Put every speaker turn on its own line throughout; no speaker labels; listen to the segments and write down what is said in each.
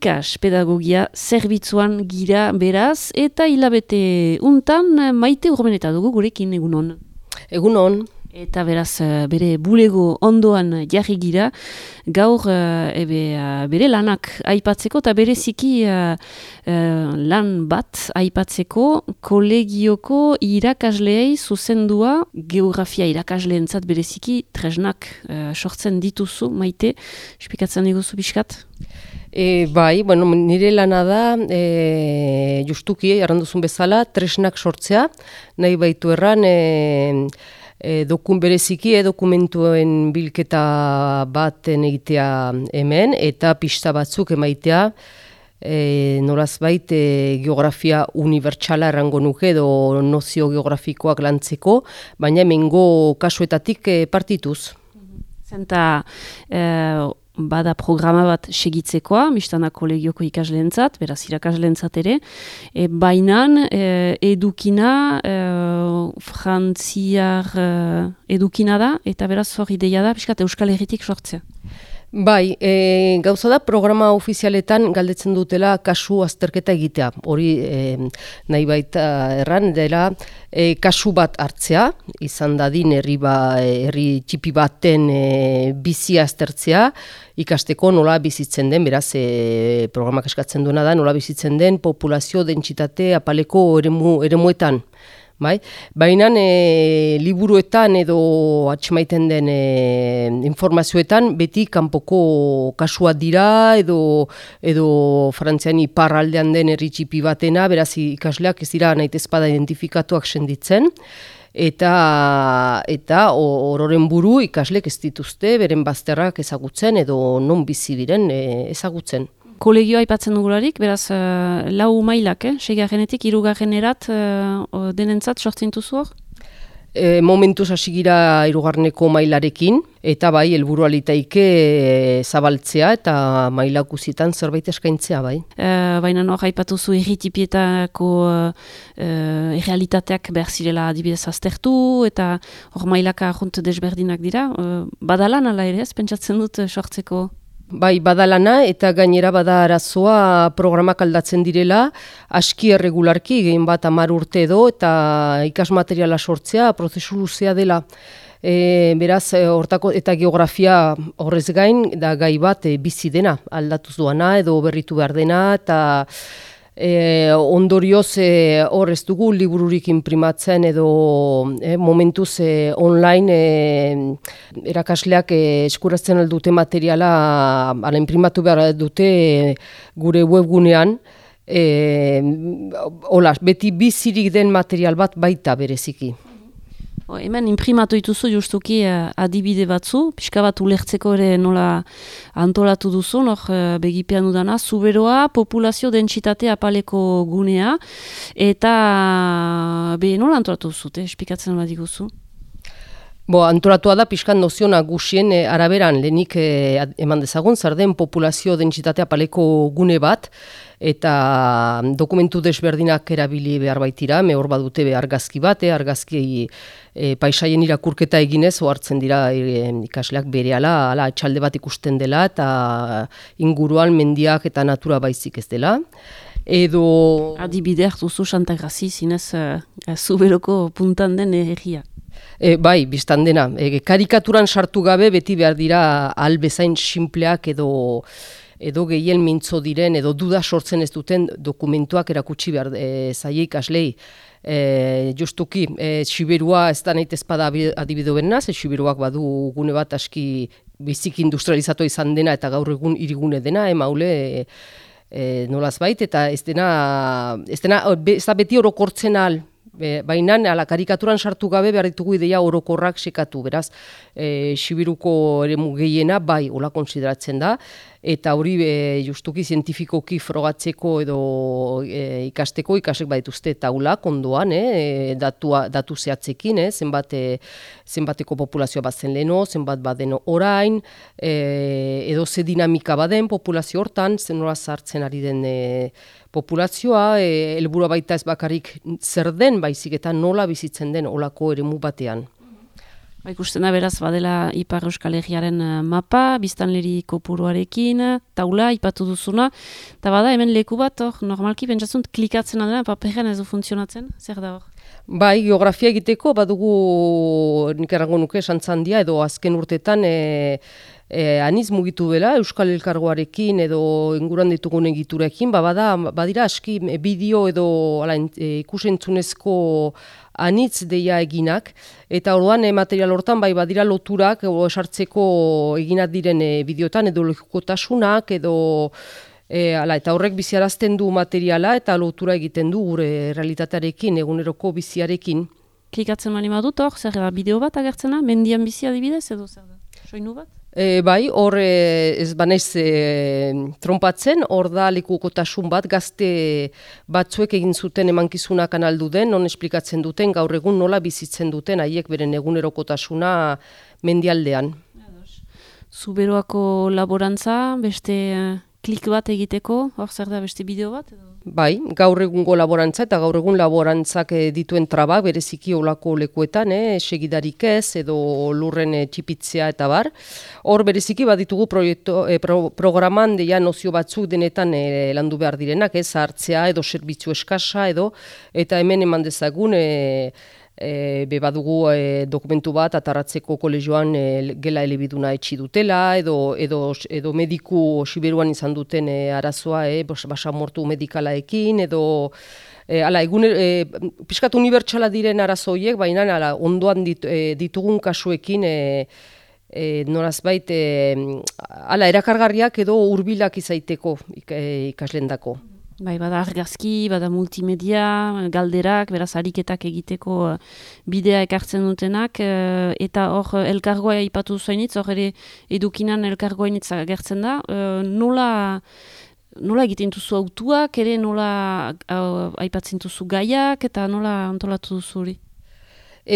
ikas pedagogia zerbitzuan gira beraz, eta hilabete untan Maite Urmeneta dugu gurekin egunon.
Egunon.
Eta beraz bere bulego ondoan jarri gira, gaur bere lanak aipatzeko eta bereziki lan bat aipatzeko kolegioko irakasleei zuzendua geografia irakasleentzat bereziki tresnak sortzen dituzu, Maite, espikatzen diguzu pixkat?
Bai, nire lana da, justuki, erranduzun bezala, tresnak sortzea, nahi baitu erran, bereziki dokumentuen bilketa baten egitea hemen, eta pista batzuk emaitea, nolazbait geografia unibertsala errango nuke edo nozio geografikoak lantzeko, baina hemengo kasuetatik partituz.
Zenta bada programa bat segitzekoa, biztana kolegioko ikasleentzat, beraz irakasleentzat ere, bainan edukina, frantziar edukina da, eta beraz hor ideia da, pixkat Euskal Herritik sortzea.
Bai, gauza da programa ofizialetan galdetzen dutela kasu azterketa egitea. Hori nahi baita erran dela kasu bat hartzea, izan dadin herri txipi baten bizi aztertzea, ikasteko nola bizitzen den, beraz programak eskatzen duena da, nola bizitzen den populazio dentsitate apaleko eremuetan. Baina liburuetan edo atxemaiten den informazioetan beti kanpoko kasua dira edo Frantzian iparraldean den herri txipi batena, beraz ikasleak ez dira nahitezpada identifikatuak senditzen. Eta ororen buru ikaslek ez dituzte beren bazterrak ezagutzen edo non bizi diren ezagutzen.
Kolegioa aipatzen dugularik, beraz, lau mailak, seigarrenetik, hirugarrenerat denentzat sortzen duzu hor?
Momentuz hasi gira hirugarreneko mailarekin, eta bai, helburua litaike zabaltzea eta maila guztietan zerbait eskaintzea, bai.
Baina hor aipatuzu erritipietako errealitateak behar zirela adibidez aztertu, eta hor mailaka junt desberdinak dira. Badalan ala ere ez, pentsatzen dut sortzeko?
Bai, badalana eta gainera bada arazoa programak aldatzen direla, aski erregularki, gehien bat 10 urte edo, eta ikasmateriala sortzea prozesu luzea dela. Beraz, hortako eta geografia horrez gain, da gai bat bizi dena, aldatuz doana edo berritu behar dena, eta ondorioz hor ez dugu libururik imprimatzen edo momentuz online erakasleak eskuratzen aldute materiala ala imprimatu behar dute gure webgunean. Beti bizirik den material bat baita bereziki.
Hemen imprimatu dituzu justuki adibide batzu, pixka bat ulertzeko ere nola antolatu duzu, begipean udana, zuberoa, populazio dentsitate apaleko gunea, eta nola antolatu duzute, espikatzen bat diguzu?
Antolatua da pixkan nozio nagusien araberan lehenik eman dezagun, zer den populazio dentsitate apaleko gune bat, eta dokumentu desberdinak erabili behar baitira, hor badute argazki bat, argazki paisaien irakurketa eginez, ohartzen dira ikasleak berehala, etxalde bat ikusten dela, eta inguruan mendiak eta natura baizik ez dela.
Adibide hartuzu Santagrazi, zinez zuberoko puntan den herria.
Bai, biztan dena. Karikaturan sartu gabe beti behar dira albezain sinpleak edo gehien mintzo diren edo duda sortzen ez duten dokumentuak erakutsi behar zaie ikaslei. Justuki, Siberua ez da nahi ezpada adibide benaz, Siberuak badu gune bat aski bizik industrializatu izan dena eta gaur egun hirigune dena, maule nolaz bait, eta ez da beti orokortzen ahal. Baina karikaturan sartu gabe behar ditugu ideia orokorrak sekatu, beraz, Sibiruko eremu gehiena bai hola konsideratzen da, eta hori justuki zientifikoki frogatzeko edo ikasteko ikasek badituzte taulak ondoan, datu zehatzekin, zenbateko populazioa bat zen leheno, zenbat baden orain, edo ze dinamika baden populazio hortan, zen nola sartzen ari den populazioa, helburua baita ez bakarrik zer den, baizik eta nola bizitzen den olako eremu batean.
Ikusten da beraz badela Ipar Euskal Herriaren mapa, biztanleri kopuruarekin, taula, ipatu duzuna, eta bada hemen leku bat, normalki pentsatzunt klikatzen adena, paperean ez du funtzionatzen, zer da hor?
Bai, geografia egiteko badugu nik errango nuke Santzandia edo azken urtetan aniz mugitu dela Euskal Elkargoarekin edo inguruan ditugun egiturekin, badira aski bideo edo ikusentzunezko anitz deia eginak, eta orduan material hortan bai badira loturak esartzeko eginak diren bideotan edo logikotasunak edo eta horrek biziarazten du materiala eta lotura egiten du gure realitatearekin, eguneroko biziarekin.
Klikatzen mani badut hor, zer da bideo bat agertzena, mendian bizi adibidez edo zer da? Soinu bat?
Bai, hor ez banaiz trompatzen, hor da lekukotasun bat gazte batzuek egin zuten emankizuna kanaldu den, non esplikatzen duten gaur egun nola bizitzen duten haiek beren egunerokotasuna mendialdean.
Zuberoako laborantza, beste klik bat egiteko, hor zer da beste bideo bat?
Bai, gaur egungo laborantza eta gaur egun laborantzak dituen trabak bereziki olako lekuetan, segidarik ez edo lurren txipitzea eta bar. Hor bereziki baditugu programan deia nozio batzuk denetan landu behar direnak, hartzea edo zerbitzu eskasa edo, eta hemen eman dezagun badugu dokumentu bat atarratzeko kolegioan gela elebiduna etxi dutela edo mediku Siberuan izan duten arazoa basamortu medikalaekin edo pixkat unibertsala diren arazo horiek, baina ondoan ditugun kasuekin norazbait erakargarriak edo hurbilak izaiteko ikaslendako.
Bai, bada argazki, bada multimedia, galderak, beraz ariketak egiteko bidea ekartzen dutenak, eta hor elkargoa ipatu zuainitz, hor ere edukinan elkargoainitz agertzen da, nola egiten duzu autuak, ere nola aipatzen duzu gaiak, eta nola antolatu duzu hori?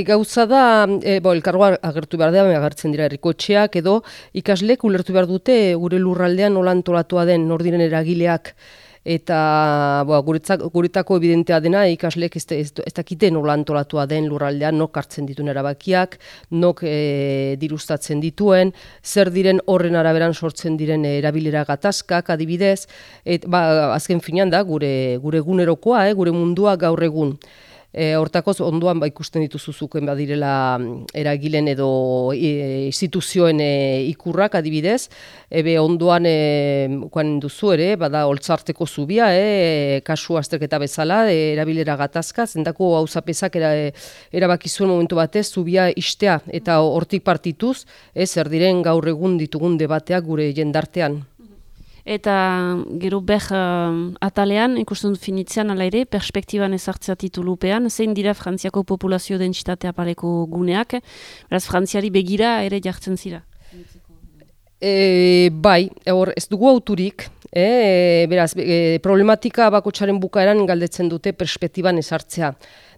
Gauza da, elkargoa agertu behar da, agertzen dira herrikotxeak edo ikaslek ulertu behar dute gure lurraldean nola antolatua den nor diren eragileak, eta guretako evidentea dena ikaslek ez dakite nola antolatua den lurraldean, nok hartzen dituen erabakiak, nok dirustatzen dituen, zer diren horren araberan sortzen diren erabilera gatazkak adibidez, azken finean da gure egunerokoa, gure mundua gaur egun. Hortakoz ondoan ikusten dituzuzuken badirela eragilen edo instituzioen ikurrak adibidez, ondoan duzu ere, bada holtzarteko zubia, kasu azterketa bezala, erabilera gatazka, zendako hauzapezak erabakizuen momentu batez zubia istea, eta hortik partituz, zer diren gaur egun ditugun debateak gure jendartean.
Eta gero atalean, ikusten dut finitzean ala ere, perspektiban ezartzea titulupean, zein dira Frantziako populazio dentsitatea paleko guneak, beraz Frantziari begira ere jartzen zira?
Bai, ez dugu auturik, beraz, problematika bakotsaren bukaeran galdetzen dute perspektiban ezartzea.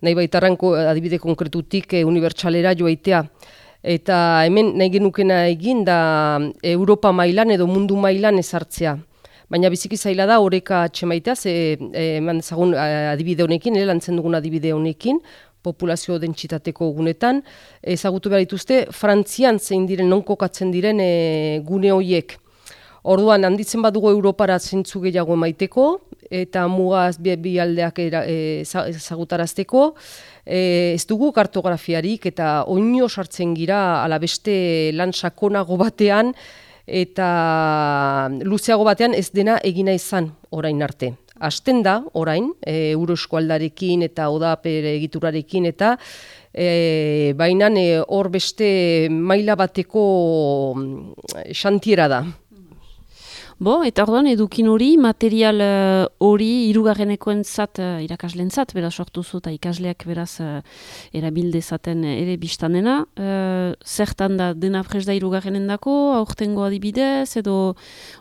Nahi baitarranko adibide konkretutik unibertsalera joaitea. Eta hemen nahi genukena egin da Europa mailan edo mundu mailan ezartzea. Baina biziki zaila da oreka atxemaitea, eman dezagun adibide honekin, lantzen dugun adibide honekin, populazio dentsitateko gunetan, ezagutu behar dituzte, Frantzian zein diren, non kokatzen diren gune horiek. Orduan, handitzen badugu Europara zentzu gehiago emaiteko, eta mugaz bi aldeak ezagutarazteko, ez dugu kartografiarik eta oino sartzen gira ala beste lan sakonago batean eta luzeago batean ez dena egina izan orain arte. Hasten da orain, Euroeskualdarekin eta ODAPER egiturarekin eta baina hor beste maila bateko xantiera da.
Eta orduan edukin hori, material hori hirugarrenekoentzat irakaslentzat, beraz sortu zu eta ikasleak beraz erabildezaten ere biztanena. Zertan da dena prest da hirugarrenendako, aurtengo adibidez, edo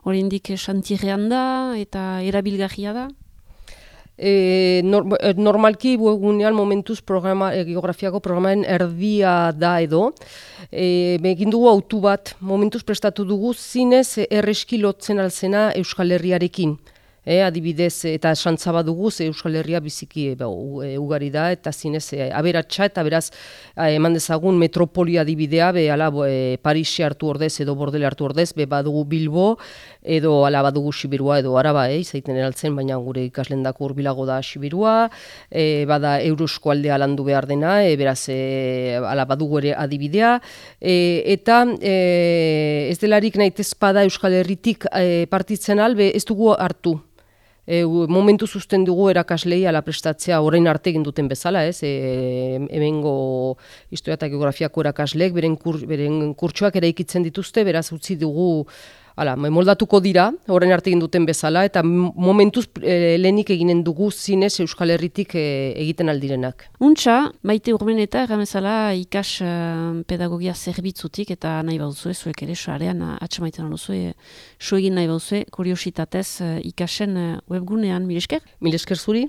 oraindik xantierrean da eta erabilgarria da?
Normalki gunean momentuz geografiako programaren erdia da edo. Egin dugu autu bat, momentuz prestatu dugu zinez erreski lotzen alzena Euskal Herriarekin. adibidez, eta santza badugu, Euskal Herria biziki ugari da, eta zinez aberatsa, eta beraz, eman dezagun metropolia adibidea, Parisi hartu ordez edo Bordele hartu ordez, badugu Bilbo, edo badugu Sibirua edo Araba, izaiten eraltzen, baina gure ikaslendako hurbilago da Sibirua, bada Eurosko aldea landu behar dena, beraz, badugu ere adibidea, eta ez delarik nahitez pada Euskal Herritik partitzen albe, ez dugu hartu. Momentu zuzten dugu erakaslei prestatzea orain arte egin duten bezala, hemengo historia eta geografiako erakasleek beren kurtsoak eraikitzen dituzte, beraz utzi dugu moldatuko dira, orain arte egin duten bezala, eta momentuz lehenik eginen dugu zinez Euskal Herritik egiten aldirenak.
Untxa, Maite Urmeneta, erramezala ikas pedagogia zerbitzutik, eta nahi bauzue, zuek ere sarean atxamaiten aluzue, so egin nahi bauzue, kuriositatez ikasen webgunean, mil esker?
Mil esker zuri.